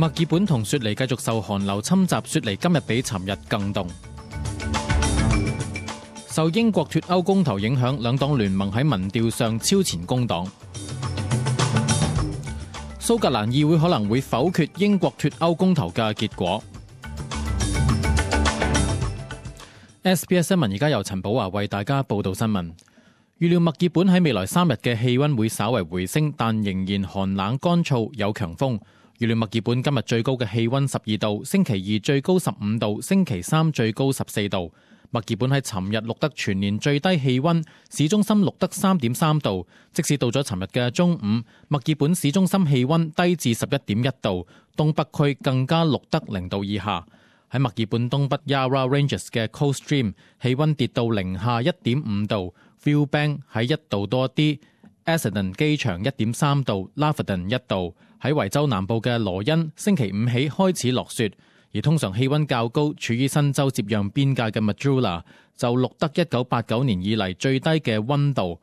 墨爾本同雪梨繼續受寒流侵襲，雪梨今日比尋日更凍。受英國脫歐公投影響，兩黨聯盟喺民調上超前工黨。蘇格蘭議會可能會否決英國脫歐公投嘅結果。SBS 新聞而家由陳寶華為大家報道新聞。預料墨爾本喺未來3日嘅氣溫會稍為回升，但仍然寒冷乾燥，有強風。預料墨爾本今日最高嘅氣溫12度，星期二最高15度，星期三最高14度。墨爾本喺尋日錄得全年最低氣溫，市中心錄得3.3度。即使到咗尋日嘅中午，墨爾本市中心氣溫低至11.1度，東北區更加錄得0度以下。喺墨爾本東北 Yarra Ranges 嘅 Cold Stream 氣溫跌到零下1.5度 ，Viewbank 喺1度多啲 ，Essendon 機場1.3度 ，Laverton 1度。喺維州南部嘅羅恩，星期五起開始落雪。而通常氣溫較高、處於新州接壤邊界嘅 Mildura 就錄得1989年以嚟最低嘅溫度。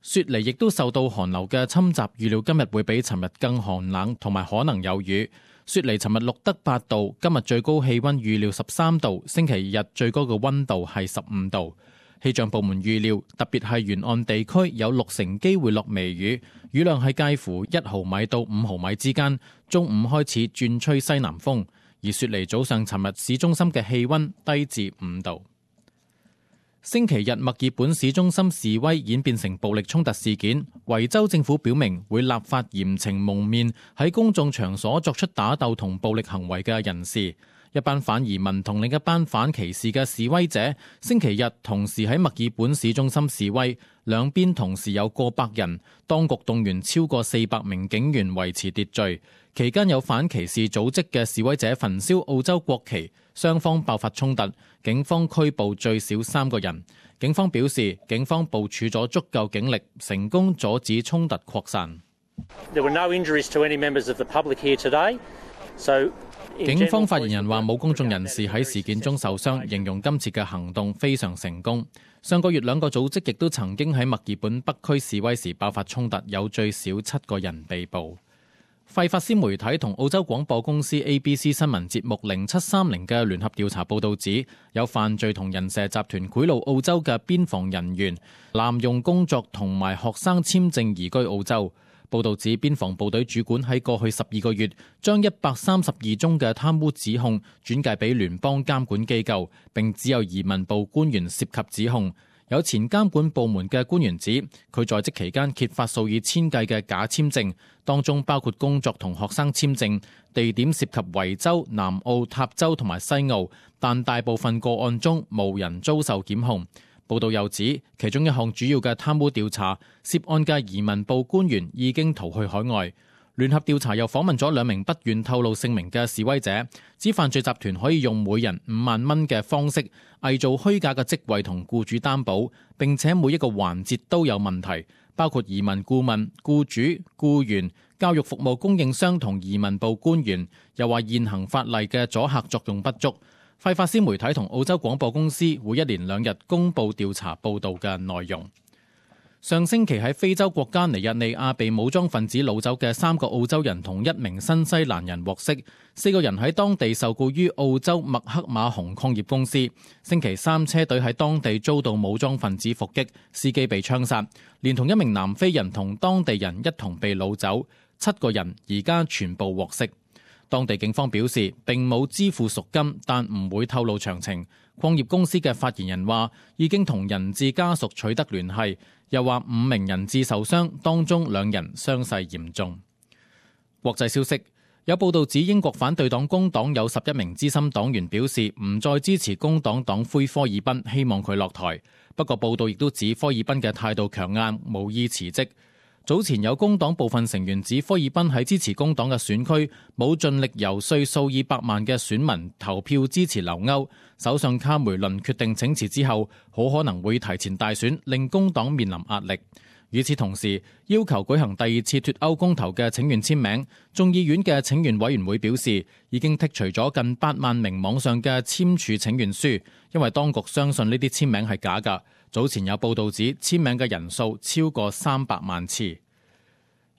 雪梨亦都受到寒流嘅侵襲，預料今日會比尋日更寒冷，同埋可能有雨。雪梨尋日錄得8度，今日最高氣溫預料13度，星期日最高嘅溫度係15度。氣象部門預料，特別係沿岸地區有60%機會落微雨，雨量係介乎1毫米到5毫米之間。中午開始轉吹西南風。而雪梨早上尋日市中心嘅氣溫低至5度。星期日墨爾本市中心示威演變成暴力衝突事件，維州政府表明會立法嚴懲蒙面喺公眾場所作出打鬥同暴力行為嘅人士。一班反移民同另一班反歧視嘅示威者星期日同時喺墨爾本市中心示威，兩邊同時有過百人，當局動員超過400名警員維持秩序。期間有反歧視組織嘅示威者焚燒澳洲國旗，雙方爆發衝突，警方拘捕最少3個人。警方表示，警方部署咗足夠警力，成功阻止衝突擴散。警方發言人話冇公眾人士喺事件中受傷，形容今次嘅行動非常成功。上個月2個組織亦都曾經喺墨爾本北區示威時爆發衝突，有最少7個人被捕。費法斯媒體同澳洲廣播公司 ABC 新聞節目0730嘅聯合調查報道指，有犯罪同人蛇集團賄賂澳洲嘅邊防人員，濫用工作同埋學生簽證移居澳洲。報道指，邊防部隊主管喺過去12個月將132宗嘅貪污指控轉介俾聯邦監管機構，並只有移民部官員涉及指控。有前監管部門嘅官員指，佢在職期間揭發數以千計嘅假簽證，當中包括工作同學生簽證，地點涉及維州、南澳、塔州同埋西澳，但大部分個案中無人遭受檢控。報道又指，其中一項主要嘅貪污調查，涉案嘅移民部官員已經逃去海外。聯合調查又訪問咗2名不願透露姓名嘅示威者，指犯罪集團可以用每人5萬蚊嘅方式偽造虛假嘅職位同僱主擔保，並且每一個環節都有問題，包括移民顧問、僱主、僱員、教育服務供應商同移民部官員。又話現行法例嘅阻嚇作用不足。費法斯媒體同澳洲廣播公司會1連2日公佈調查報導嘅內容。上星期喺非洲國家尼日利亞被武裝分子擄走嘅3個澳洲人同1名新西蘭人獲釋，4個人喺當地受僱於澳洲麥克馬洪礦業公司。星期3車隊喺當地遭到武裝分子伏擊，司機被槍殺，連同1名南非人同當地人一同被擄走，7個人而家全部獲釋。當地警方表示並冇支付贖金，但唔會透露詳情。礦業公司嘅發言人話已經同人質家屬取得聯繫，又話5名人質受傷，當中2人傷勢嚴重。國際消息，有報道指英國反對黨工黨有11名資深黨員表示唔再支持工黨黨魁科爾賓，希望佢落台。不過報道亦都指科爾賓嘅態度強硬，無意辭職。早前有工黨部分成員指科爾賓喺支持工黨嘅選區冇盡力遊說數以百萬嘅選民投票支持留歐。首相卡梅倫決定請辭之後，好可能會提前大選，令工黨面臨壓力。與此同時，要求舉行第2次脫歐公投嘅請願簽名，眾議院嘅請願委員會表示已經剔除咗近8萬名網上嘅簽署請願書，因為當局相信呢啲簽名係假㗎。早前有報道指簽名嘅人數超過300萬次。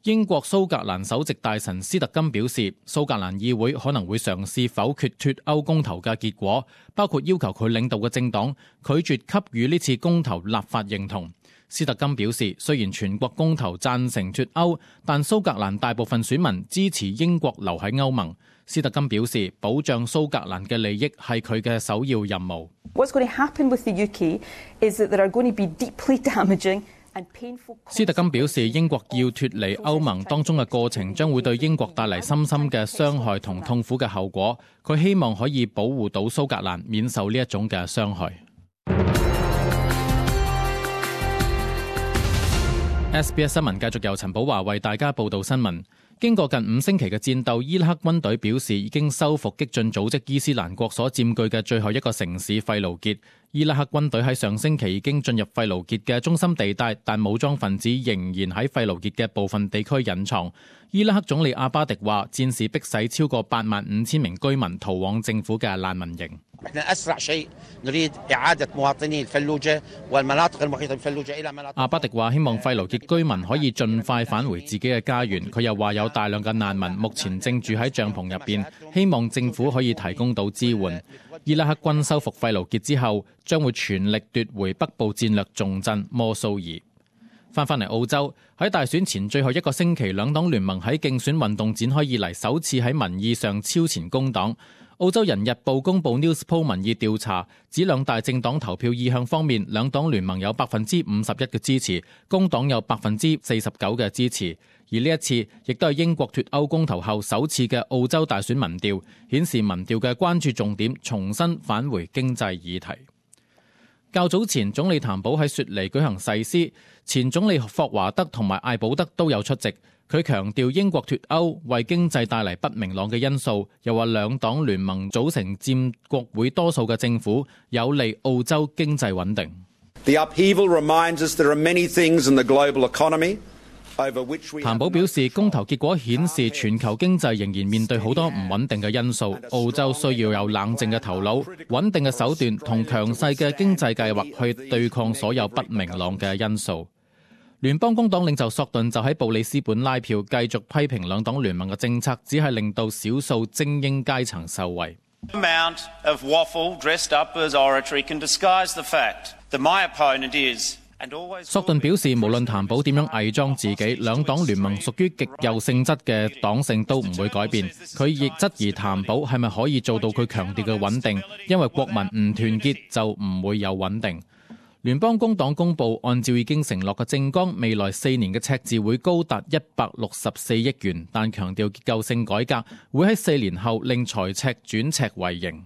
英國蘇格蘭首席大臣斯特金表示，蘇格蘭議會可能會嘗試否決脫歐公投嘅結果，包括要求佢領導嘅政黨拒絕給予呢次公投立法認同。斯特金表示，雖然全國公投贊成脫歐，但蘇格蘭大部分選民支持英國留喺歐盟。斯特金表示，保障蘇格蘭嘅利益係佢嘅首要任務。What's going to happen with the UK is that there are going to be deeply damaging斯特金表示，英國要脫離歐盟當中嘅過程將會對英國帶嚟深深嘅傷害同痛苦嘅後果。佢希望可以保護到蘇格蘭免受呢一種嘅傷害。SBS 新聞繼續由陳寶華為大家報道新聞。經過近5星期嘅戰鬥，伊拉克軍隊表示已經收復激進組織伊斯蘭國所佔據嘅最後一個城市費盧傑。伊拉克軍隊喺上星期已經進入費盧傑嘅中心地帶，但武裝分子仍然喺費盧傑嘅部分地區隱藏。伊拉克總理阿巴迪話，戰事迫使超過85000名居民逃往政府嘅難民營。阿巴迪話，希望費盧傑居民可以盡快返回自己嘅家園。佢又話有大量嘅難民目前正住喺帳篷入邊，希望政府可以提供到支援。伊拉克軍收復費盧傑之後，將會全力奪回北部戰略重鎮摩蘇爾。翻嚟澳洲，喺大選前最後一個星期，兩黨聯盟喺競選運動展開以嚟首次喺民意上超前工黨。澳洲人日報公佈 Newspoll 民意調查，指兩大政黨投票意向方面，兩黨聯盟有51%嘅支持，工黨有49%嘅支持。而呢一次亦都係英國脫歐公投後首次嘅澳洲大選民調，顯示民調嘅關注重點重新返回經濟議題。較早前，總理譚寶喺雪梨舉行誓師，前總理霍華德同埋艾保德都有出席。佢強調英國脫歐為經濟帶嚟不明朗嘅因素，又話兩黨聯盟組成佔國會多數嘅政府，有利澳洲經濟穩定。The upheaval reminds us there are many things in the global economy。譚寶表示，公投結果顯示全球經濟仍然面對好多唔穩定嘅因素，澳洲需要有冷靜嘅頭腦、穩定嘅手段同強勢嘅經濟計劃去對抗所有不明朗嘅因素。聯邦工黨領袖索頓就喺布里斯本拉票，繼續批評兩黨聯盟嘅政策只係令到少數精英階層受惠。索頓表示，無論譚寶點樣偽裝自己，兩黨聯盟屬於極右性質嘅黨性都唔會改變。佢亦質疑譚寶係咪可以做到佢強調嘅穩定，因為國民唔團結就唔會有穩定。聯邦工黨公佈，按照已經承諾嘅政綱，未來4年嘅赤字會高達164億元，但強調結構性改革會喺4年後令財赤轉赤為盈。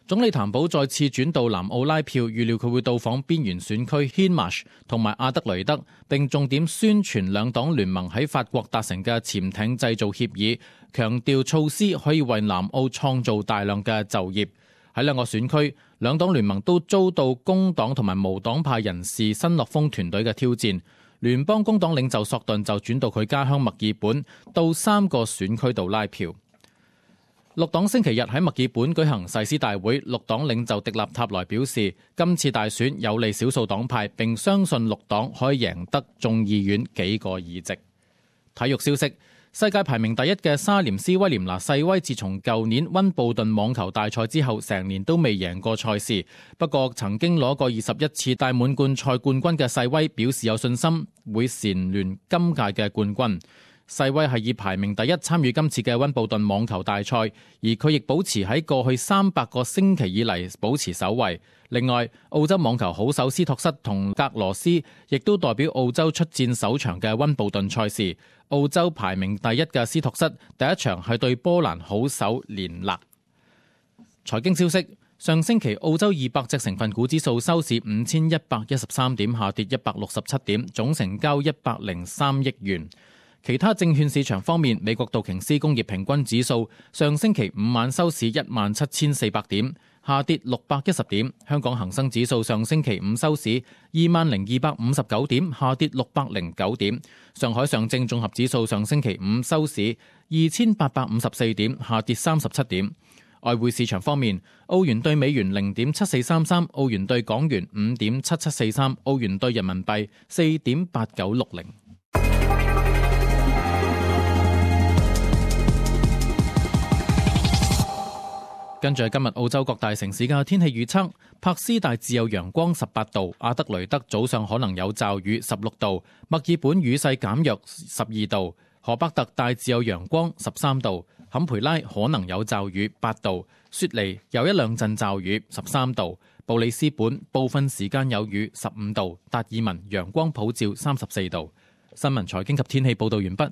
總理譚寶再次轉到南澳拉票，預料佢會到訪邊緣選區 Hindmarsh 同埋阿德雷德，並重點宣傳兩黨聯盟喺法國達成嘅潛艇製造協議，強調措施可以為南澳創造大量嘅就業。喺兩個選區，兩黨聯盟都遭到工黨同埋無黨派人士新樂豐團隊嘅挑戰。聯邦工黨領袖索頓就轉到佢家鄉墨爾本，到3個選區度拉票。綠黨星期日喺墨爾本舉行誓師大會，綠黨領袖迪納塔萊表示，今次大選有利少數黨派，並相信綠黨可以贏得眾議院幾個議席。體育消息，世界排名第1嘅沙廉斯威廉拿細威，自從舊年溫布頓網球大賽之後，成年都未贏過賽事。不過曾經攞過21次大滿貫賽冠軍嘅細威表示有信心會蟬聯今屆嘅冠軍。細威係以排名第1參與今次嘅溫布頓網球大賽，而佢亦保持喺過去300個星期以嚟保持首位。另外，澳洲網球好手斯托瑟同格羅斯亦都代表澳洲出戰首場嘅溫布頓賽事。澳洲排名第1嘅斯托瑟第一場係對波蘭好手連勒。財經消息，上星期澳洲200隻成分股指數收市5113點，下跌167點，總成交103億元。其他證券市場方面，美國道瓊斯工業平均指數上星期5晚收市17400點，下跌610點。香港恒生指數上星期5收市20259點，下跌609點。上海上證綜合指數上星期5收市2854點，下跌37點。外匯市場方面，澳元對美元0.7433，澳元對港元5.7743，澳元對人民幣4.8960。跟住係今日澳洲各大城市嘅天氣預測：柏斯大致有陽光18度，阿德雷德早上可能有驟雨16度，墨爾本雨勢減弱12度，荷伯特大致有陽光13度，坎培拉可能有驟雨8度，雪梨有一兩陣驟雨13度，布里斯本部分時間有雨15度，達爾文陽光普照34度。新聞財經及天氣報導完畢。